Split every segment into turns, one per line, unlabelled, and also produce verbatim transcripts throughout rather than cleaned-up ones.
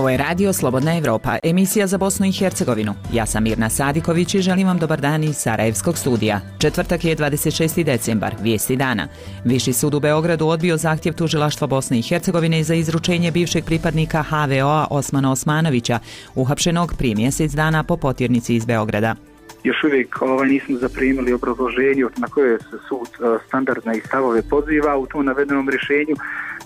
Ovo je radio Slobodna Evropa, emisija za Bosnu i Hercegovinu. Ja sam Mirna Sadiković i želim vam dobar dan iz Sarajevskog studija. Četvrtak je dvadeset šesti decembar, vijesti dana. Viši sud u Beogradu odbio zahtjev tužilaštva Bosne i Hercegovine za izručenje bivšeg pripadnika ha ve o a Osmana Osmanovića, uhapšenog prije mjesec dana po potjernici iz Beograda.
Još uvijek ovaj, nismo zaprimili obrazloženje na koje se sud standardne i stavove poziva u tom navedenom rješenju,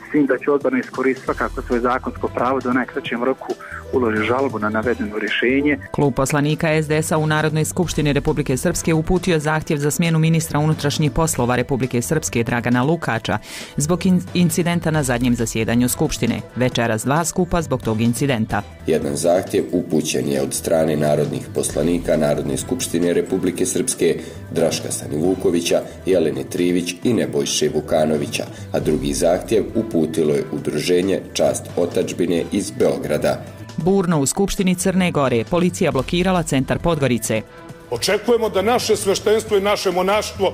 s tim da će odborno iskoristiti svakako svoje zakonsko pravo da u najkraćem roku uloži žalbu na navedeno rješenje.
Klub poslanika es de es a u Narodnoj skupštini Republike Srpske uputio zahtjev za smjenu ministra unutrašnjih poslova Republike Srpske Dragana Lukača zbog in- incidenta na zadnjem zasjedanju Skupštine. Večeras dva skupa zbog tog incidenta.
Jedan zahtjev upućen je od strane narodnih poslanika Narodne skupštine Republike Srpske Draška Stanivukovića, Jelene Trivić i Nebojše Vukanovića, a drugi zahtjev uputilo je udruženje Čast otadžbine iz Beograda.
Burno u Skupštini Crne Gore, policija blokirala centar Podgorice.
Očekujemo da naše sveštenstvo i naše monaštvo,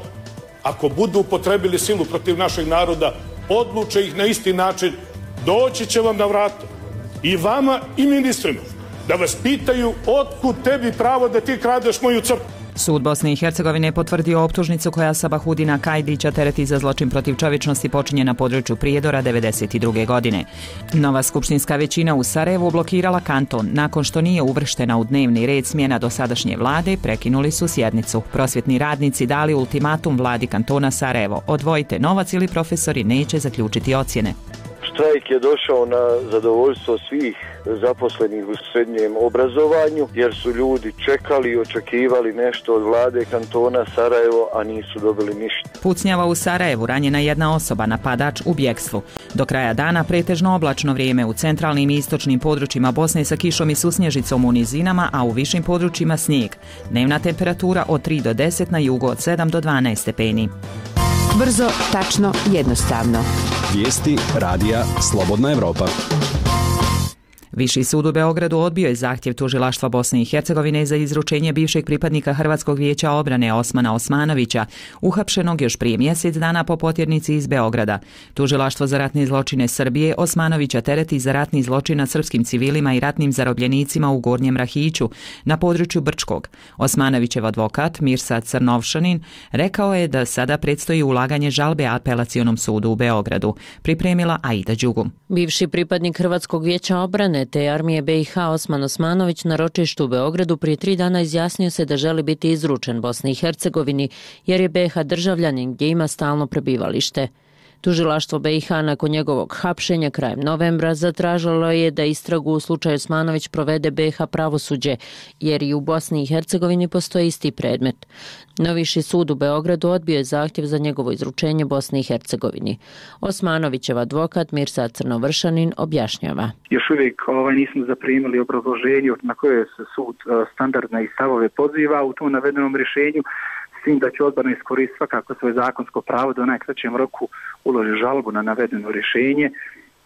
ako budu upotrebili silu protiv našeg naroda, odluče ih na isti način, doći će vam na vrata. I vama i ministrima, da vas pitaju otkud tebi pravo da ti kradeš moju crkvu.
Sud Bosne i Hercegovine potvrdio optužnicu koja Sabahudina Kajdića tereti za zločin protiv čovječnosti počinjen na području Prijedora devedeset druge godine. Nova skupštinska većina u Sarajevu blokirala kanton. Nakon što nije uvrštena u dnevni red smjena dosadašnje vlade, prekinuli su sjednicu. Prosvjetni radnici dali ultimatum vladi kantona Sarajevo. Odvojite novac ili profesori neće zaključiti ocjene.
Štrajk je došao na zadovoljstvo svih zaposlenih u srednjem obrazovanju, jer su ljudi čekali i očekivali nešto od vlade kantona Sarajevo, a nisu dobili ništa.
Pucnjava u Sarajevu, ranjena jedna osoba, napadač u bjegstvu. Do kraja dana pretežno oblačno vrijeme u centralnim i istočnim područjima Bosne sa kišom i susnježicom u nizinama, a u višim područjima snijeg. Dnevna temperatura od tri do deset, na jugu od sedam do dvanaest stepeni.
Brzo, tačno, jednostavno.
Vijesti radija Slobodna Evropa.
Viši sud u Beogradu odbio je zahtjev tužilaštva Bosne i Hercegovine za izručenje bivšeg pripadnika Hrvatskog vijeća obrane Osmana Osmanovića, uhapšenog još prije mjesec dana po potjernici iz Beograda. Tužilaštvo za ratne zločine Srbije Osmanovića tereti za ratni zločin nad srpskim civilima i ratnim zarobljenicima u Gornjem Rahiću na području Brčkog. Osmanovićev advokat Mirsad Crnovšanin rekao je da sada predstoji ulaganje žalbe apelacionom sudu u Beogradu. Pripremila Aida Đugum.
Bivši pripadnik Hrvatskog vijeća obrane te armije be i ha Osman Osmanović na ročištu u Beogradu prije tri dana izjasnio se da želi biti izručen Bosni i Hercegovini jer je be i ha državljanin gdje ima stalno prebivalište. Tužilaštvo be i ha nakon njegovog hapšenja krajem novembra zatražilo je da istragu u slučaju Osmanović provede be i ha pravosuđe, jer i u Bosni i Hercegovini postoji isti predmet. No Viši sud u Beogradu odbio je zahtjev za njegovo izručenje Bosni i Hercegovini. Osmanovićev advokat Mirsad Crnovršanin objašnjava.
Još uvijek ovaj, nismo zaprimili obrazloženje na koje se sud standardne i stavove poziva u tom navedenom rješenju, s tim da će odborno iskoristiti svakako svoje zakonsko pravo da u najkraćem roku uloži žalbu na navedeno rješenje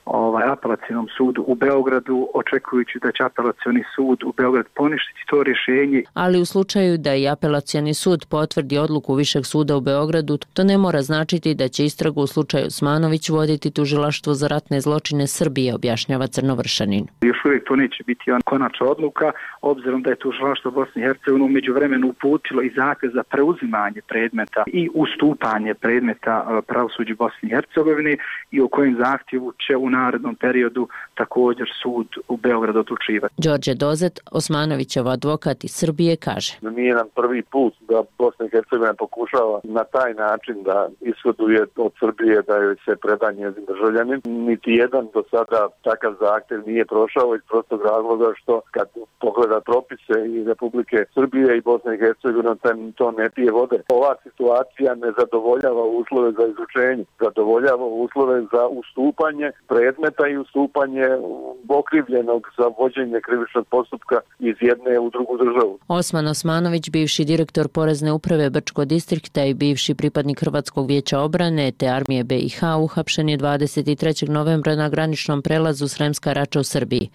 ovaj, apelacionom sudu u Beogradu, očekujući da će apelacioni sud u Beogradu poništiti to rješenje.
Ali u slučaju da i apelacioni sud potvrdi odluku Višeg suda u Beogradu, to ne mora značiti da će istragu u slučaju Osmanović voditi tužilaštvo za ratne zločine Srbije, objašnjava Crnovršanin.
Još uvijek to neće biti konačna odluka, obzirom da je tužilaštvo Bosne i Hercegovine u međuvremenu uputilo i zahtjev za preuzimanje predmeta i ustupanje predmeta pravosuđu Bosne i Hercegovine i o kojem zahtjevu će u narednom periodu također sud u Beogradu odlučivati.
Đorđe Dozet, Osmanovićev advokat iz Srbije, kaže:
Nije nam prvi put da Bosna i Hercegovina pokušava na taj način da ishoduje od Srbije da joj se preda njezin državljanin. Niti jedan do sada takav zahtjev nije prošao iz prostog razloga što kad pogleda propise i Republike Srbije i Bosne i Hercegovine to ne pije vode. Ova situacija ne zadovoljava uslove za izručenje, zadovoljava uslove za ustupanje predmeta i ustupanje okrivljenog za vođenje krivičnog postupka iz jedne u drugu državu.
Osman Osmanović, bivši direktor Porezne uprave Brčko distrikta i bivši pripadnik Hrvatskog vijeća obrane te armije be i ha, uhapšen je dvadeset trećeg novembra na graničnom prelazu Sremska Rača u Srbiji.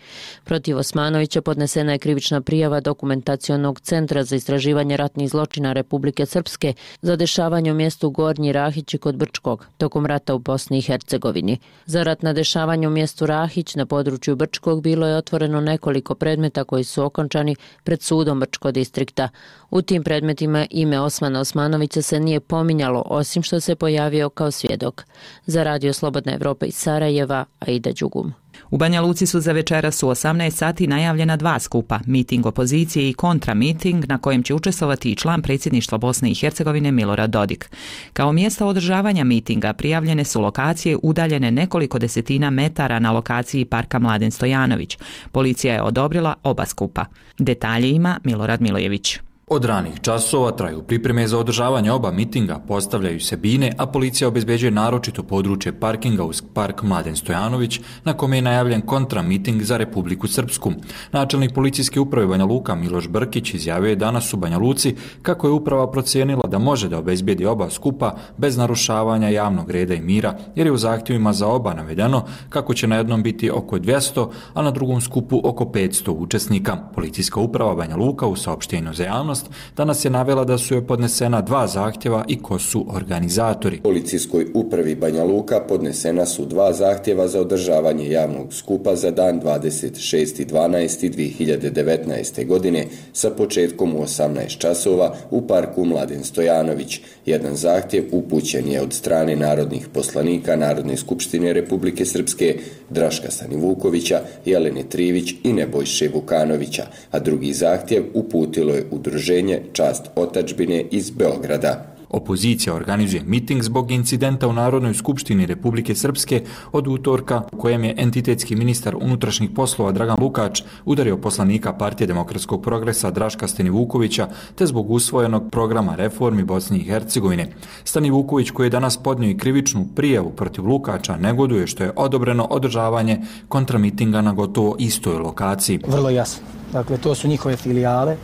Protiv Osmanovića podnesena je krivična prijava Dokumentacionog centra za istraživanje ratnih zločina Republike Srpske za dešavanje u mjestu Gornji Rahići kod Brčkog tokom rata u Bosni i Hercegovini. Za ratna dešavanja oglašavanja u mjestu Rahić na području Brčkog bilo je otvoreno nekoliko predmeta koji su okončani pred sudom Brčko distrikta. U tim predmetima ime Osmana Osmanovića se nije pominjalo, osim što se pojavio kao svjedok. Za Radio Slobodna Evropa iz Sarajeva, Aida Đugum.
U Banja Luci su za večeras u osamnaest sati najavljena dva skupa, miting opozicije i kontramiting na kojem će učestvovati i član predsjedništva Bosne i Hercegovine Milorad Dodik. Kao mjesta održavanja mitinga prijavljene su lokacije udaljene nekoliko desetina metara na lokaciji Parka Mladen Stojanović. Policija je odobrila oba skupa. Detalje ima Milorad Milojević.
Od ranih časova traju pripreme za održavanje oba mitinga, postavljaju se bine, a policija obezbeđuje naročito područje parkinga uz Park Mladen Stojanović, na kome je najavljen kontramiting za Republiku Srpsku. Načelnik policijske uprave Banja Luka Miloš Brkić izjavio je danas u Banja Luci kako je uprava procijenila da može da obezbedi oba skupa bez narušavanja javnog reda i mira, jer je u zahtjevima za oba navedeno kako će na jednom biti oko dvjesto, a na drugom skupu oko petsto učesnika. Policijska uprava Banja Luka u saopštenju za javnost danas je navela da su joj podnesena dva zahtjeva i ko su organizatori.
Policijskoj upravi Banja Luka podnesena su dva zahtjeva za održavanje javnog skupa za dan dvadeset šesti dvanaesti dvije hiljade devetnaeste. godine sa početkom u osamnaest časova u Parku Mladen Stojanović. Jedan zahtjev upućen je od strane narodnih poslanika Narodne skupštine Republike Srpske Draška Stanivukovića, Jelene Trivić i Nebojše Vukanovića, a drugi zahtjev uputilo je udruženje Čast otadžbine iz Beograda.
Opozicija organizuje miting zbog incidenta u Narodnoj skupštini Republike Srpske od utorka u kojem je entitetski ministar unutrašnjih poslova Dragan Lukač udario poslanika Partije demokratskog progresa Draška Stanivukovića te zbog usvojenog programa reformi Bosne i Hercegovine. Stanivuković, koji je danas podnio i krivičnu prijavu protiv Lukača, negoduje što je odobreno održavanje kontramitinga na gotovo istoj lokaciji.
Vrlo jasno. Dakle, to su njihove filijale,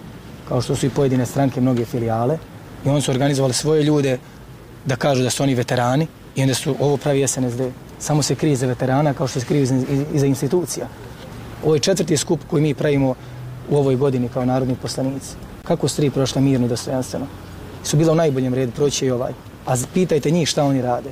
kao što su i pojedine stranke mnoge filijale. I oni su organizovali svoje ljude da kažu da su oni veterani i onda su ovo pravi S N S D. Samo se krije za veterana kao što se krije i za institucija. Ovo je četvrti skup koji mi pravimo u ovoj godini kao narodni poslanici. Kako su tri prošle mirno, dostojanstveno? Su bila u najboljem redu, proći i ovaj. A pitajte njih šta oni rade.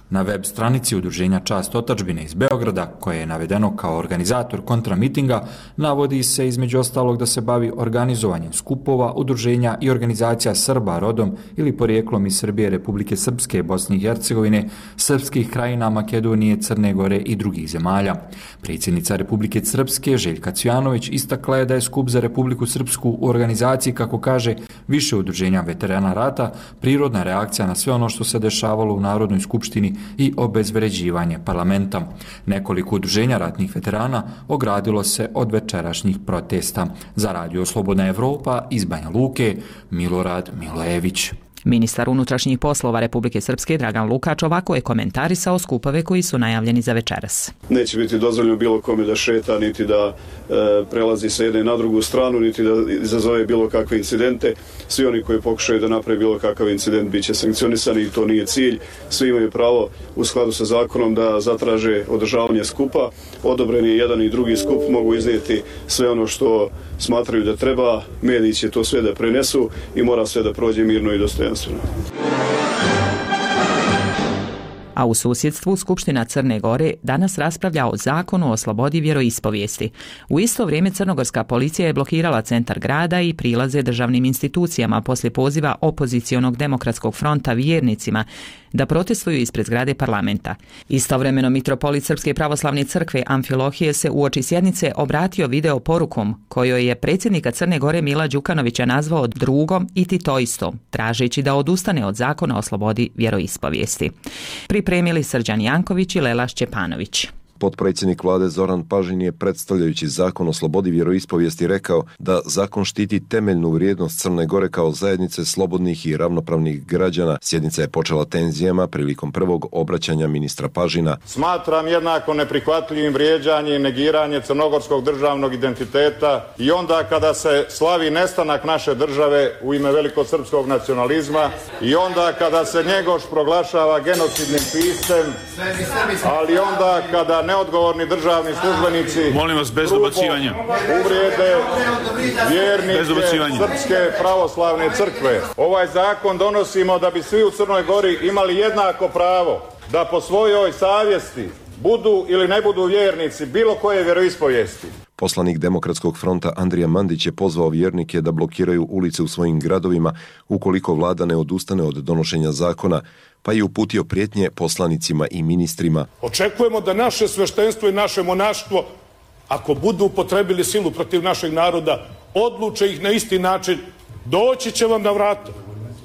Na web stranici udruženja Čast otadžbine iz Beograda, koje je navedeno kao organizator kontramitinga, navodi se između ostalog da se bavi organizovanjem skupova, udruženja i organizacija Srba rodom ili porijeklom iz Srbije, Republike Srpske, Bosne i Hercegovine, srpskih krajina, Makedonije, Crne Gore i drugih zemalja. Predsjednica Republike Srpske Željka Cvijanović istakla je da je skup za Republiku Srpsku u organizaciji, kako kaže, više udruženja veterana rata, prirodna reakcija na sve ono što se dešavalo u Narodnoj skupštini i obezvređivanje parlamenta. Nekoliko udruženja ratnih veterana ogradilo se od večerašnjih protesta. Za Radio Slobodna Evropa iz Banja Luke, Milorad Milojević.
Ministar unutrašnjih poslova Republike Srpske Dragan Lukač ovako je komentarisao skupove koji su najavljeni za večeras.
Neće biti dozvoljeno bilo kome da šeta, niti da e, prelazi sa jedne na drugu stranu, niti da izazove bilo kakve incidente. Svi oni koji pokušaju da naprave bilo kakav incident bit će sankcionisani i to nije cilj. Svi imaju pravo u skladu sa zakonom da zatraže održavanje skupa. Odobren je jedan i drugi skup, mogu iznijeti sve ono što smatraju da treba. Mediji će to sve da prenesu i mora sve da prođe mirno i dostojno.
A u susjedstvu Skupština Crne Gore danas raspravlja o zakonu o slobodi vjeroispovijesti. U isto vrijeme crnogorska policija je blokirala centar grada i prilaze državnim institucijama poslije poziva opozicionog demokratskog fronta vjernicima da protestuju ispred zgrade parlamenta. Istovremeno mitropolit Srpske pravoslavne crkve Amfilohije se uoči sjednice obratio video porukom kojoj je predsjednika Crne Gore Mila Đukanovića nazvao drugom i titoistom, tražeći da odustane od zakona o slobodi vjeroispovijesti. Pripremili Srđan Janković i Lela Šćepanović.
Potpredsjednik vlade Zoran Pažin je, predstavljajući zakon o slobodi vjeroispovijesti, rekao da zakon štiti temeljnu vrijednost Crne Gore kao zajednice slobodnih i ravnopravnih građana. Sjednica je počela tenzijama prilikom prvog obraćanja ministra Pažina.
Smatram jednako neprihvatljivim vrijeđanje i negiranje crnogorskog državnog identiteta i onda kada se slavi nestanak naše države u ime velikosrpskog nacionalizma i onda kada se Njegoš proglašava genocidnim piscem, ali onda kada neodgovorni državni službenici
molim vas bez dobacivanja
uvrijede vjernike Srpske pravoslavne crkve. Ovaj zakon donosimo da bi svi u Crnoj Gori imali jednako pravo da po svojoj savjesti budu ili ne budu vjernici bilo koje vjeroispovijesti.
Poslanik Demokratskog fronta Andrija Mandić je pozvao vjernike da blokiraju ulice u svojim gradovima ukoliko vlada ne odustane od donošenja zakona, pa je uputio prijetnje poslanicima i ministrima.
Očekujemo da naše sveštenstvo i naše monaštvo, ako budu upotrebili silu protiv našeg naroda, odluče ih na isti način, doći će vam na vrata.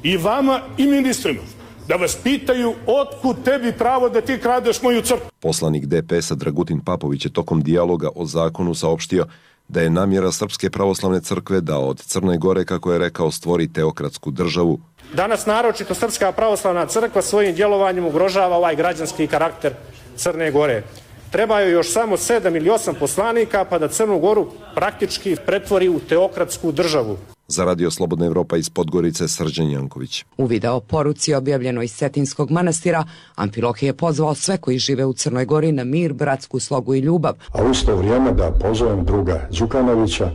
I vama i ministrima. Da vas pitaju otkud tebi pravo da ti kradeš moju crkvu.
Poslanik D P S-a Dragutin Papović je tokom dijaloga o zakonu saopštio da je namjera Srpske pravoslavne crkve da od Crne Gore, kako je rekao, stvori teokratsku državu.
Danas naročito Srpska pravoslavna crkva svojim djelovanjem ugrožava ovaj građanski karakter Crne Gore. Trebaju još samo sedam ili osam poslanika pa da Crnu Goru praktički pretvori u teokratsku državu.
Za Radio Slobodna Evropa iz Podgorice, Srđan Janković.
U video poruci objavljenoj iz Cetinskog manastira, Amfilohije je pozvao sve koji žive u Crnoj Gori na mir, bratsku slogu i ljubav.
A u isto vrijeme da pozovem druga Đukanovića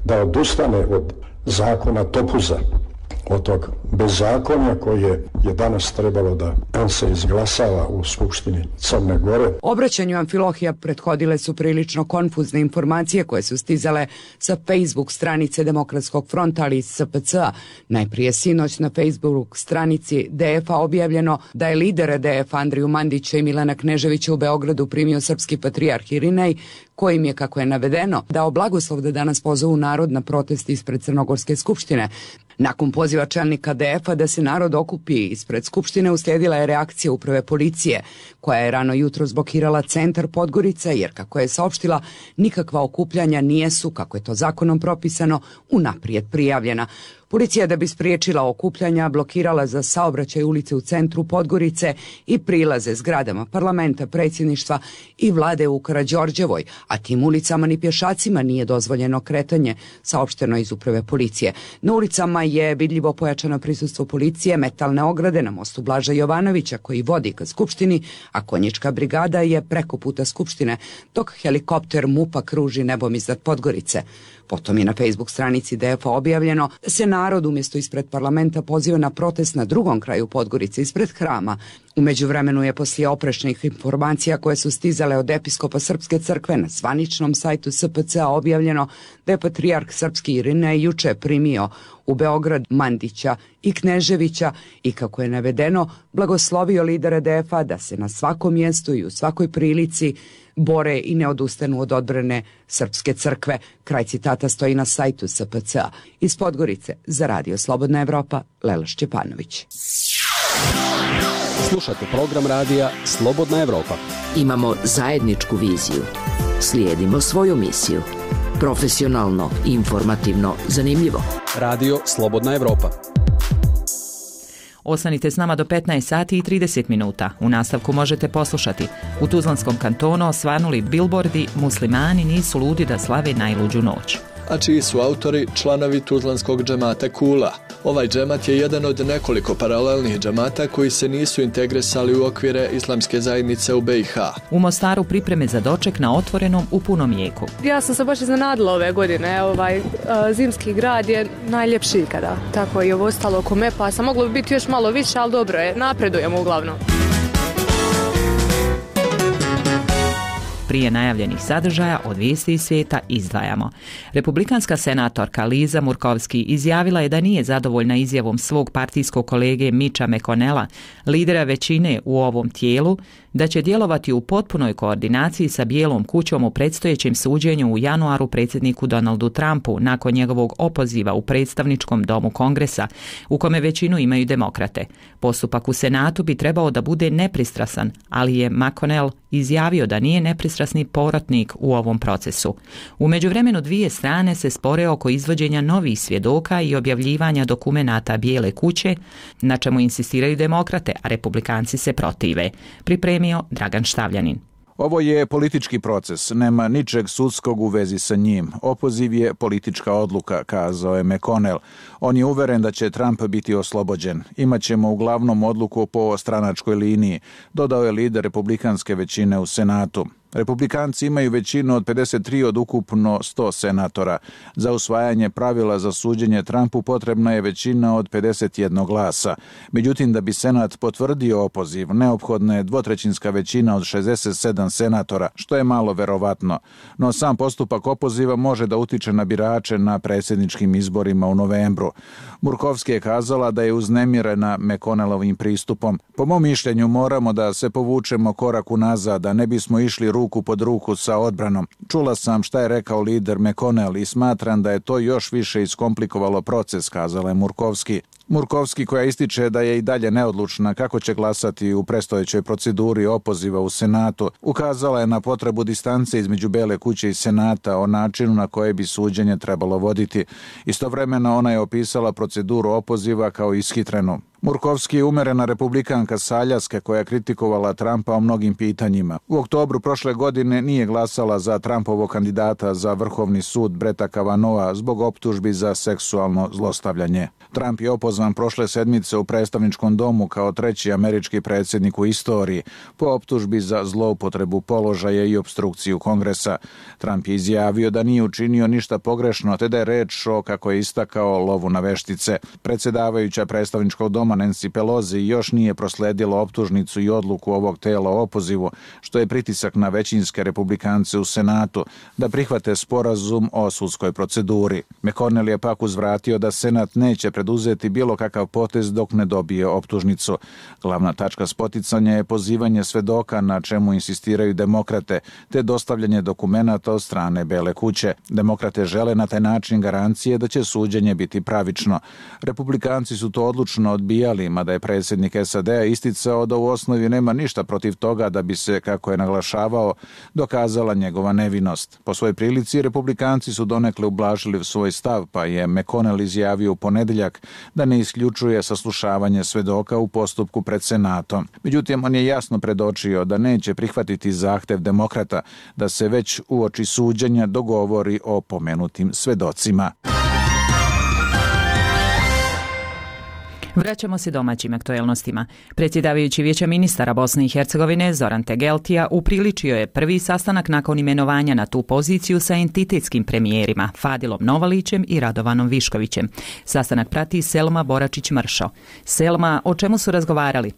da odustane od zakona Topuza, od tog bezakonja koje je danas trebalo da se izglasava u Skupštini Crne Gore.
Obraćanju Amfilohija prethodile su prilično konfuzne informacije koje su stizale sa Facebook stranice Demokratskog fronta, ali i S P C-a. Najprije sinoć na Facebook stranici D F-a objavljeno da je lidere D F Andriju Mandića i Milana Kneževića u Beogradu primio srpski patrijarh Irinej, kojim je, kako je navedeno, dao blagoslov da danas pozovu narod na protest ispred Crnogorske skupštine. Nakon poziva čelnika D F-a da se narod okupi ispred Skupštine, uslijedila je reakcija uprave policije, koja je rano jutro zblokirala centar Podgorica, jer, kako je saopštila, nikakva okupljanja nijesu, kako je to zakonom propisano, unaprijed prijavljena. Policija, da bi spriječila okupljanja, blokirala za saobraćaj ulice u centru Podgorice i prilaze zgradama parlamenta, predsjedništva i vlade u Karađorđevoj, a tim ulicama ni pješacima nije dozvoljeno kretanje, saopšteno iz uprave policije. Na ulicama je vidljivo pojačano prisustvo policije, metalne ograde na mostu Blaža Jovanovića koji vodi ka Skupštini, a konjička brigada je preko puta Skupštine, dok helikopter MUP-a kruži nebom iznad Podgorice. Potom je na Facebook stranici D F-a objavljeno da se narod umjesto ispred parlamenta poziva na protest na drugom kraju Podgorice, ispred hrama. U međuvremenu je poslije oprečnih informacija koje su stizale od episkopa Srpske crkve na zvaničnom sajtu S P C-a objavljeno da je patrijarh srpski Irinej juče primio u Beograd Mandića i Kneževića i, kako je navedeno, blagoslovio lidere D F-a da se na svakom mjestu i u svakoj prilici bore i ne odustanu od odbrane Srpske crkve. Kraj citata stoji na sajtu S P C-a. Iz Podgorice za Radio Slobodna Evropa, Lela Šćepanović.
Slušate program radija Slobodna Evropa.
Imamo zajedničku viziju. Slijedimo svoju misiju. Profesionalno, informativno, zanimljivo.
Radio Slobodna Evropa.
Ostanite s nama do petnaest sati i trideset minuta. U nastavku možete poslušati: u Tuzlanskom kantonu osvanuli bilbordi "Muslimani nisu ludi da slave najluđu noć".
A čiji su autori članovi Tuzlanskog džemata Kula. Ovaj džemat je jedan od nekoliko paralelnih džemata koji se nisu integrisali u okvire islamske zajednice u B i H.
U Mostaru pripreme za doček na otvorenom u punom jeku.
Ja sam se baš iznenadila ove godine. Ovaj zimski grad je najljepši ikada. Tako i ovo ostalo oko Mepa. Sam moglo bi biti još malo više, ali dobro je. Napredujemo uglavnom.
Prije najavljenih sadržaja od vijesti iz svijeta izdvajamo. Republikanska senatorka Liza Murkowski izjavila je da nije zadovoljna izjavom svog partijskog kolege Mitcha McConnella, lidera većine u ovom tijelu, da će djelovati u potpunoj koordinaciji sa Bijelom kućom u predstojećem suđenju u januaru predsjedniku Donaldu Trumpu nakon njegovog opoziva u predstavničkom domu Kongresa, u kome većinu imaju demokrate. Postupak u Senatu bi trebao da bude nepristrasan, ali je McConnell izjavio da nije nepristrasni povratnik u ovom procesu. U međuvremenu dvije strane se spore oko izvođenja novih svjedoka i objavljivanja dokumenata Bijele kuće, na čemu insistiraju demokrate, a republikanci se protive. Pripremio Dragan Štavljanin.
Ovo je politički proces, nema ničeg sudskog u vezi sa njim. Opoziv je politička odluka, kazao je McConnell. On je uveren da će Trump biti oslobođen. Imaćemo uglavnom odluku po stranačkoj liniji, dodao je lider republikanske većine u Senatu. Republikanci imaju većinu od pedeset tri od ukupno sto senatora. Za usvajanje pravila za suđenje Trumpu potrebna je većina od pedeset jedan glasa. Međutim, da bi Senat potvrdio opoziv, neophodna je dvotrećinska većina od šezdeset sedam senatora, što je malo verovatno. No sam postupak opoziva može da utiče na birače na predsjedničkim izborima u novembru. Murkovski je kazala da je uznemirena McConnellovim pristupom. Po mom mišljenju moramo da se povučemo korak unazad, da ne bismo išli ruku pod ruku sa odbranom. Čula sam šta je rekao lider McConnell i smatram da je to još više iskomplikovalo proces, kazala je Murkovski. Murkovski, koja ističe da je i dalje neodlučna kako će glasati u predstojećoj proceduri opoziva u Senatu, ukazala je na potrebu distance između Bele kuće i Senata o načinu na koje bi suđenje trebalo voditi. Istovremeno ona je opisala proceduru opoziva kao ishitrenu. Murkovski je umerena republikanka sa Aljaske koja je kritikovala Trumpa o mnogim pitanjima. U oktobru prošle godine nije glasala za Trumpovog kandidata za Vrhovni sud Bretta Kavanogha zbog optužbi za seksualno zlostavljanje. Trump je opozvan prošle sedmice u predstavničkom domu kao treći američki predsjednik u istoriji po optužbi za zloupotrebu položaja i opstrukciju Kongresa. Trump je izjavio da nije učinio ništa pogrešno, te da je reč o, kako je istakao, lovu na veštice. Predsjedavajuća predstavničkog doma Nancy Pelosi još nije prosledila optužnicu i odluku ovog tela o opozivu, što je pritisak na većinske republikance u Senatu da prihvate sporazum o sudskoj proceduri. McConnell je pak uzvratio da Senat neće preduzeti bilo kakav potez dok ne dobije optužnicu. Glavna tačka spoticanja je pozivanje svedoka, na čemu insistiraju demokrate, te dostavljanje dokumenata od strane Bele kuće. Demokrate žele na taj način garancije da će suđenje biti pravično. Republikanci su to odlučno odbijali, mada je predsjednik S A D-a isticao da u osnovi nema ništa protiv toga da bi se, kako je naglašavao, dokazala njegova nevinost. Po svojoj prilici, republikanci su donekle ublažili svoj stav, pa je McConnell izjavio u ponedeljak da ne isključuje saslušavanje svedoka u postupku pred Senatom. Međutim, on je jasno predočio da neće prihvatiti zahtev demokrata da se već uoči suđenja dogovori o pomenutim svedocima.
Vraćamo se domaćim aktuelnostima. Predsjedavajući Vijeća ministara Bosne i Hercegovine Zoran Tegeltija upriličio je prvi sastanak nakon imenovanja na tu poziciju sa entitetskim premijerima Fadilom Novalićem i Radovanom Viškovićem. Sastanak prati Selma Boračić-Mršo. Selma, o čemu su razgovarali?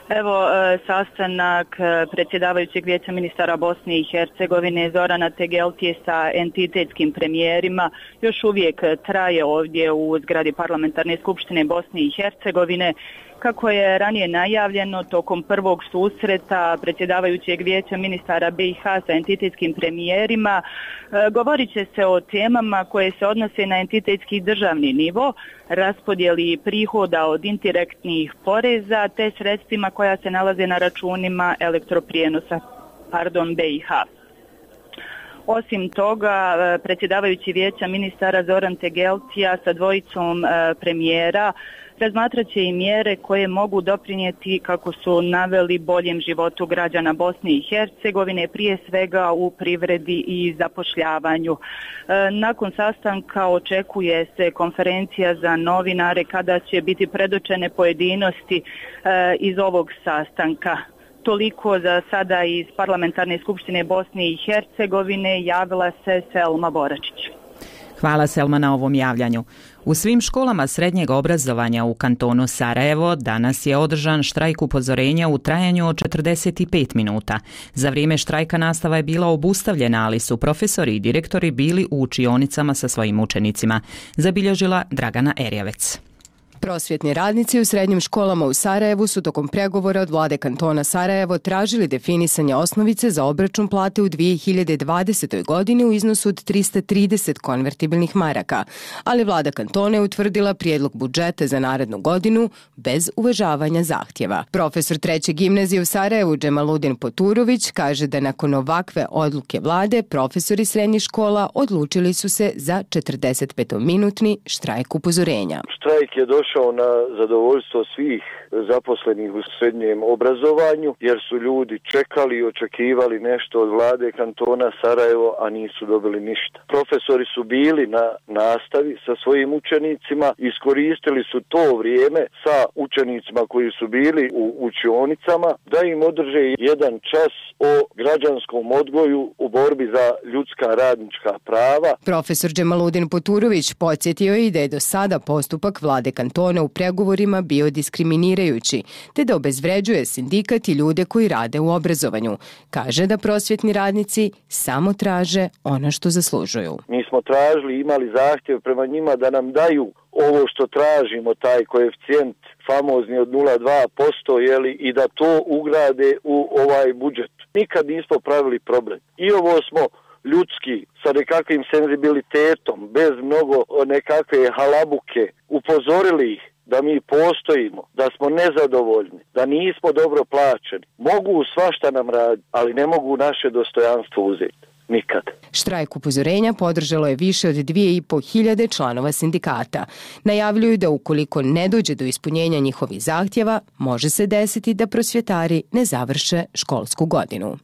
Evo, sastanak predsjedavajućeg Vijeća ministara Bosne i Hercegovine Zorana Tegeltije sa entitetskim premijerima još uvijek traje ovdje u zgradi Parlamentarne skupštine Bosne i Hercegovine. Kako je ranije najavljeno, tokom prvog susreta predsjedavajućeg Vijeća ministara B i H sa entitetskim premijerima govorit će se o temama koje se odnose na entitetski državni nivo, raspodjeli prihoda od indirektnih poreza te sredstvima koja se nalaze na računima elektroprijenosa pardon, B i H. Osim toga, predsjedavajući Vijeća ministara Zoran Tegeltija sa dvojicom premijera razmatrat će i mjere koje mogu doprinijeti, kako su naveli, boljem životu građana Bosne i Hercegovine, prije svega u privredi i zapošljavanju. Nakon sastanka očekuje se konferencija za novinare kada će biti predočene pojedinosti iz ovog sastanka. Toliko za sada iz Parlamentarne skupštine Bosne i Hercegovine. Javila se Selma Boračić.
Hvala Selma na ovom javljanju. U svim školama srednjeg obrazovanja u kantonu Sarajevo danas je održan štrajk upozorenja u trajanju od četrdeset pet minuta. Za vrijeme štrajka nastava je bila obustavljena, ali su profesori i direktori bili u učionicama sa svojim učenicima. Zabilježila Dragana Erjavec.
Prosvjetni radnici u srednjim školama u Sarajevu su tokom pregovora od vlade kantona Sarajevo tražili definisanje osnovice za obračun plate u dvije hiljade dvadesetoj. godini u iznosu od trista trideset konvertibilnih maraka, ali vlada kantona je utvrdila prijedlog budžeta za narednu godinu bez uvažavanja zahtjeva. Profesor treće gimnazije u Sarajevu Džemaludin Poturović kaže da nakon ovakve odluke vlade profesori srednjih škola odlučili su se za četrdeset pet minutni štrajk upozorenja.
Štrajk je došao
prošao na zadovoljstvo svih zaposlenih u srednjem obrazovanju, jer su ljudi čekali i očekivali nešto od vlade kantona Sarajevo, a nisu dobili ništa. Profesori su bili na nastavi sa svojim učenicima, iskoristili su to vrijeme sa učenicima koji su bili u učionicama da im održe jedan čas o građanskom odgoju u borbi za ljudska radnička prava.
Profesor Džemaludin Poturović podsjetio je i da je do sada postupak vlade kantona u pregovorima bio diskriminirajući, te da obezvređuje sindikat i ljude koji rade u obrazovanju. Kaže da prosvjetni radnici samo traže ono što zaslužuju.
Mi smo tražili, imali zahtjev prema njima da nam daju ovo što tražimo, taj koeficijent famozni od nula zarez dva posto, jeli, i da to ugrade u ovaj budžet. Nikad nismo pravili problem. I ovo smo ljudski, sa nekakvim senzibilitetom, bez mnogo nekakve halabuke, upozorili ih da mi postojimo, da smo nezadovoljni, da nismo dobro plaćeni. Mogu svašta nam raditi, ali ne mogu naše dostojanstvo uzeti. Nikad.
Štrajk upozorenja podržalo je više od dvije i po hiljade članova sindikata. Najavljuju da ukoliko ne dođe do ispunjenja njihovih zahtjeva, može se desiti da prosvjetari ne završe školsku godinu.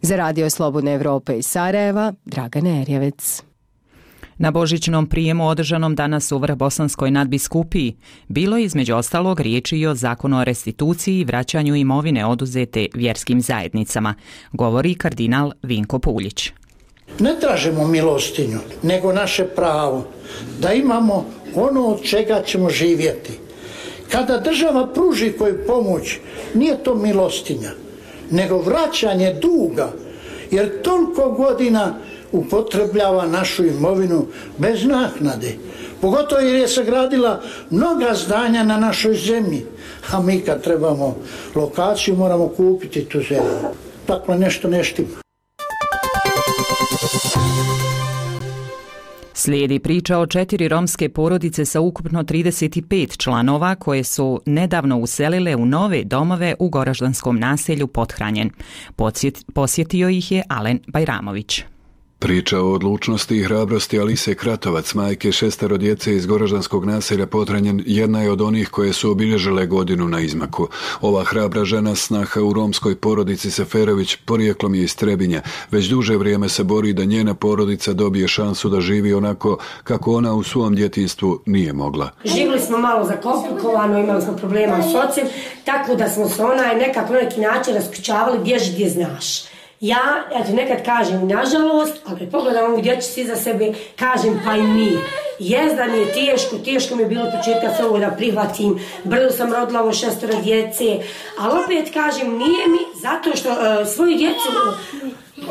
Za Radio Slobodna Evropa iz Sarajeva, Dragana Erjevec.
Na božićnom prijemu održanom danas u Vrhbosanskoj nadbiskupiji bilo je između ostalog riječi i o zakonu o restituciji i vraćanju imovine oduzete vjerskim zajednicama, govori kardinal Vinko Puljić.
Ne tražimo milostinju, nego naše pravo da imamo ono od čega ćemo živjeti. Kada država pruži koju pomoć, nije to milostinja, nego vraćanje duga, jer toliko godina upotrebljava našu imovinu bez naknade. Pogotovo jer je sagradila mnoga zdanja na našoj zemlji, a mi kad trebamo lokaciju moramo kupiti tu zemlju. Dakle, nešto ne štima.
Slijedi priča o četiri romske porodice sa ukupno trideset pet članova koje su nedavno uselile u nove domove u goraždanskom naselju Pothranjen. Posjetio ih je Alen Bajramović.
Priča o odlučnosti i hrabrosti Alise Kratovac, majke šestero djece iz goraždanskog naselja Pothranjen, jedna je od onih koje su obilježile godinu na izmaku. Ova hrabra žena, snaha u romskoj porodici Seferović, porijeklom je iz Trebinja. Već duže vrijeme se bori da njena porodica dobije šansu da živi onako kako ona u svom djetinjstvu nije mogla.
Živjeli smo malo zakomplikovano, imali smo problema s ocem, tako da smo se onaj nekako na neki način raspričavali, bježi gdje znaš. Ja, ja ti nekad kažem nažalost, ali kad pogledam ovu dječicu iza sebe, kažem pa i nije. Jezda mi je teško, teško mi je bilo početka se ovo da prihvatim, brzo sam rodila ovo šestoro djece, ali opet kažem nije mi zato što uh, svoju djecu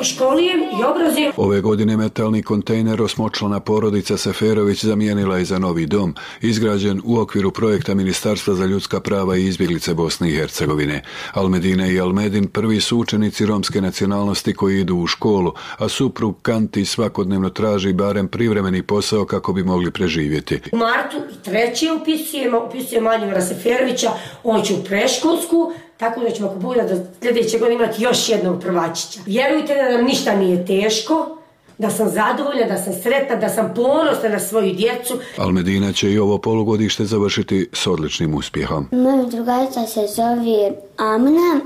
školijem i obrazujem.
Ove godine metalni kontejner osmočlana porodica Seferović zamijenila je za novi dom, izgrađen u okviru projekta Ministarstva za ljudska prava i izbjeglice Bosne i Hercegovine. Almedina i Almedin prvi su učenici romske nacionalnosti koji idu u školu, a suprug Kanti svakodnevno traži barem privremeni posao kako bi mogli preživjeti.
U martu treći upisujemo, upisujemo Manjivara Seferovića, on će u preškolsku, tako da ćemo ako bude do sljedeće godine imati još jednog prvačića. Vjerujte da nam ništa nije teško, da sam zadovoljna, da sam sretna, da sam ponosna na svoju djecu.
Almedina će i ovo polugodište završiti s odličnim uspjehom.
Moja drugarica se zove Amna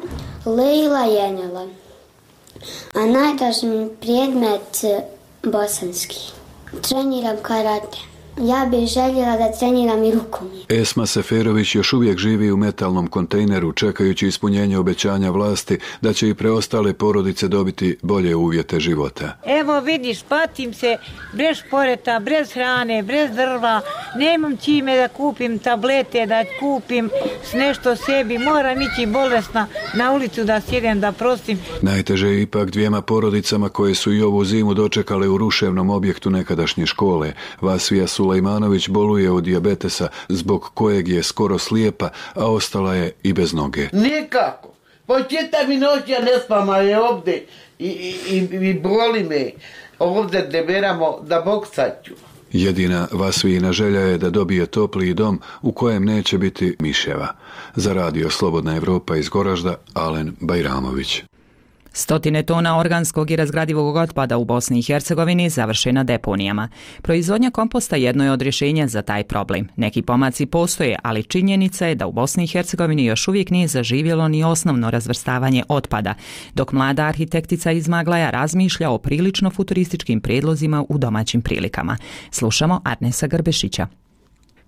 Leila Jenela, a najdraži mi predmet bosanski. Treniram karate. Ja bih željela da treniram i rukomet.
Esma Seferović još uvijek živi u metalnom kontejneru čekajući ispunjenje obećanja vlasti da će i preostale porodice dobiti bolje uvjete života.
Evo vidiš, patim se bez poreta, bez hrane, bez drva, nemam čime da kupim tablete, da kupim nešto sebi, moram ići bolesna na ulicu da sjedem, da prostim.
Najteže je ipak dvijema porodicama koje su i ovu zimu dočekale u ruševnom objektu nekadašnje škole. Vasija Sulejmanović boluje od dijabetesa zbog kojeg je skoro slijepa, a ostala je i bez noge.
Nikako. Po čitav mi noć ja ne spama je ovdje i, i, i boli me. Ovdje deberamo da boksaću.
Jedina Vasvijina želja je da dobije topli dom u kojem neće biti miševa. Za Radio Slobodna Evropa iz Goražda, Alen Bajramović.
Stotine tona organskog i razgradivog otpada u Bosni i Hercegovini završe na deponijama. Proizvodnja komposta jedno je od rješenja za taj problem. Neki pomaci postoje, ali činjenica je da u Bosni i Hercegovini još uvijek nije zaživjelo ni osnovno razvrstavanje otpada, dok mlada arhitektica iz Maglaja razmišlja o prilično futurističkim prijedlozima u domaćim prilikama. Slušamo Arnesa Grbešića.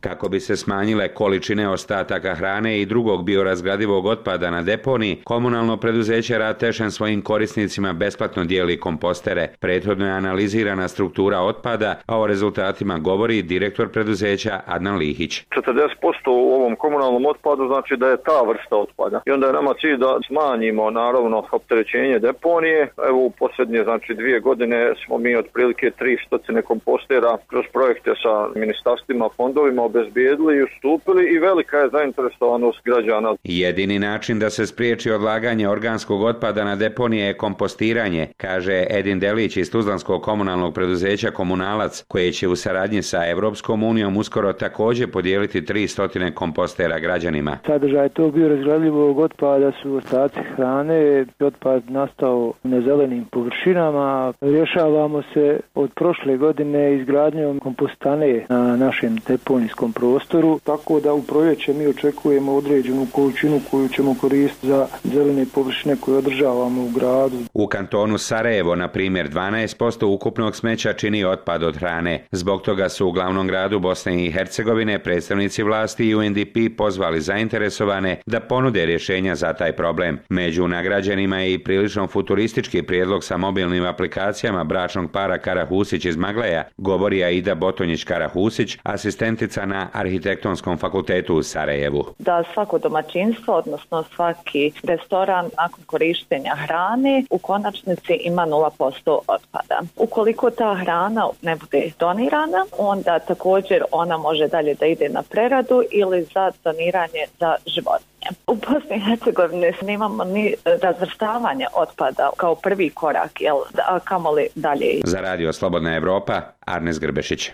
Kako bi se smanjile količine ostataka hrane i drugog biorazgradivog otpada na deponiji, komunalno preduzeće Ratešen svojim korisnicima besplatno dijeli kompostere. Prethodno je analizirana struktura otpada, a o rezultatima govori direktor preduzeća Adnan Lihić.
četrdeset posto u ovom komunalnom otpadu znači da je ta vrsta otpada. I onda je nama cilj da smanjimo naravno opterećenje deponije. Evo u posljednje znači dvije godine smo mi otprilike tristo kompostera kroz projekte sa ministarstvima, fondovima obezbijedili i ustupili i velika je zainteresovanost građana.
Jedini način da se spriječi odlaganje organskog otpada na deponije je kompostiranje, kaže Edin Delić iz Tuzlanskog komunalnog preduzeća Komunalac, koje će u saradnji sa Evropskom unijom uskoro također podijeliti tristo kompostera građanima.
Sadržaj tog biorazgradivog otpada su ostaci hrane, otpad nastao na zelenim površinama. Rješavamo se od prošle godine izgradnjom kompostane na našem deponijskom prostoru, tako da u proljeće mi očekujemo određenu količinu koju ćemo koristiti za zelene površine koje održavamo u gradu.
U kantonu Sarajevo, na primjer, dvanaest posto ukupnog smeća čini otpad od hrane. Zbog toga su u glavnom gradu Bosne i Hercegovine predstavnici vlasti i U N D P pozvali zainteresovane da ponude rješenja za taj problem. Među nagrađenima je i prilično futuristički prijedlog sa mobilnim aplikacijama bračnog para Karahusić iz Maglaja, govori Aida Botonjić-Karahusić, asistentica na Arhitektonskom fakultetu u Sarajevu.
Da svako domaćinstvo, odnosno svaki restoran nakon korištenja hrane u konačnici ima nula posto otpada. Ukoliko ta hrana ne bude donirana, onda također ona može dalje da ide na preradu ili za doniranje za životinje. U Bosni i Hercegovini nemamo ni razvrstavanje otpada kao prvi korak, jel, a kamoli dalje.
Za Radio Slobodna Evropa, Arnes Grbešić.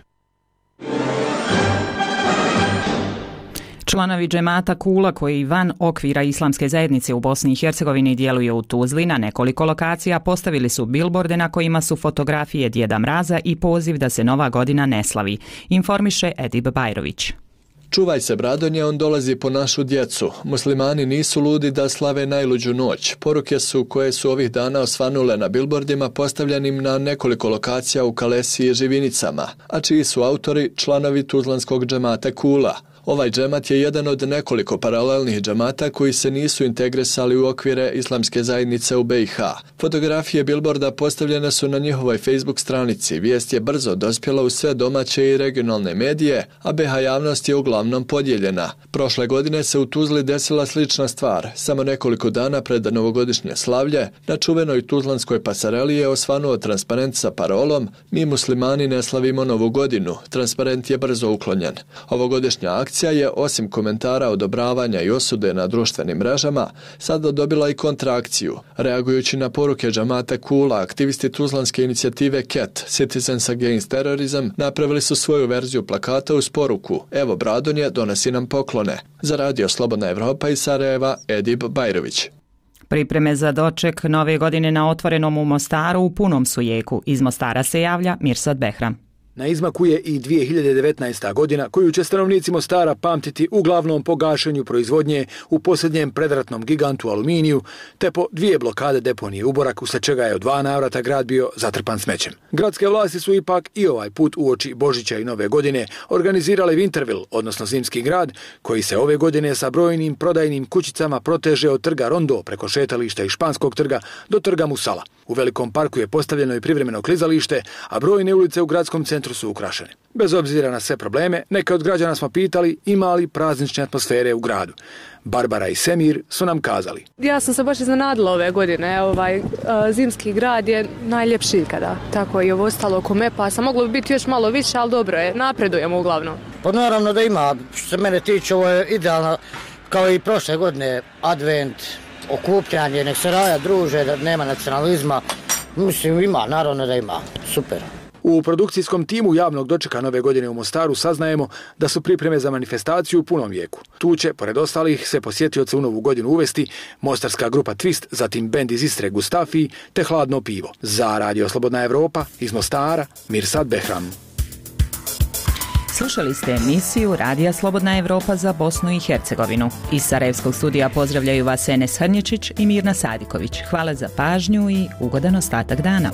Članovi džemata Kula koji van okvira islamske zajednice u Bosni i Hercegovini djeluje u Tuzli na nekoliko lokacija postavili su bilborde na kojima su fotografije Djeda Mraza i poziv da se Nova godina ne slavi, informiše Edib Bajrović.
Čuvaj se, Bradonje, on dolazi po našu djecu. Muslimani nisu ludi da slave najluđu noć. Poruke su koje su ovih dana osvanule na bilbordima postavljenim na nekoliko lokacija u Kalesi i Živinicama, a čiji su autori članovi Tuzlanskog džemata Kula. Ovaj džemat je jedan od nekoliko paralelnih džemata koji se nisu integrisali u okvire islamske zajednice u B i H. Fotografije bilborda postavljene su na njihovoj Facebook stranici. Vijest je brzo dospjela u sve domaće i regionalne medije, a B i H javnost je uglavnom podijeljena. Prošle godine se u Tuzli desila slična stvar. Samo nekoliko dana pred novogodišnje slavlje, na čuvenoj tuzlanskoj pasareli je osvanuo transparent sa parolom "Mi muslimani ne slavimo Novu godinu". Transparent je brzo uklonjen. Ovogodišnja akcija je, osim komentara, odobravanja i osude na društvenim mrežama, sada dobila i kontrakciju. Reagujući na poruke džamata Kula, aktivisti tuzlanske inicijative C A T, Citizens Against Terrorism, napravili su svoju verziju plakata uz poruku "Evo Bradonje, donosi nam poklone". Za Radio Slobodna Evropa iz Sarajeva, Edib Bajrović.
Pripreme za doček Nove godine na Otvorenom u Mostaru u punom su jeku. Iz Mostara se javlja Mirsad Behram.
Na izmaku je i dvije hiljade devetnaesta. godina koju će stanovnici Mostara pamtiti uglavnom po gašenju proizvodnje u posljednjem predratnom gigantu Aluminiju, te po dvije blokade deponije Uborak, usled čega je u dva navrata grad bio zatrpan smećem. Gradske vlasti su ipak i ovaj put uoči Božića i Nove godine organizirali Winterville, odnosno zimski grad, koji se ove godine sa brojnim prodajnim kućicama proteže od trga Rondo preko šetališta i Španskog trga do trga Musala. U velikom parku je postavljeno i privremeno klizalište, a brojne ulice u gradskom centru su ukrašene. Bez obzira na sve probleme, neke od građana smo pitali ima li praznične atmosfere u gradu. Barbara i Semir su nam kazali.
Ja sam se baš iznenadila ove godine. Ovaj, zimski grad je najljepši ikada. Tako i ovo ostalo oko Mepa. Sam moglo bi biti još malo više, ali dobro je. Napredujemo uglavnom.
Pa naravno da ima. Što se mene tiče, ovo je idealno kao i prošle godine. Advent, okupljanje, nek se raja druže, da nema nacionalizma. Mislim, ima, naravno da ima. Super.
U produkcijskom timu javnog dočeka nove godine u Mostaru saznajemo da su pripreme za manifestaciju u punom jeku. Tu će, pored ostalih, se posjetioce u novu godinu uvesti mostarska grupa Twist, zatim bend iz Istre Gustafi te Hladno pivo. Za Radio Slobodna Evropa iz Mostara, Mirsad Behram.
Slušali ste emisiju Radija Slobodna Evropa za Bosnu i Hercegovinu. Iz Sarajevskog studija pozdravljaju vas Enes Hrnječić i Mirna Sadiković. Hvala za pažnju i ugodan ostatak dana.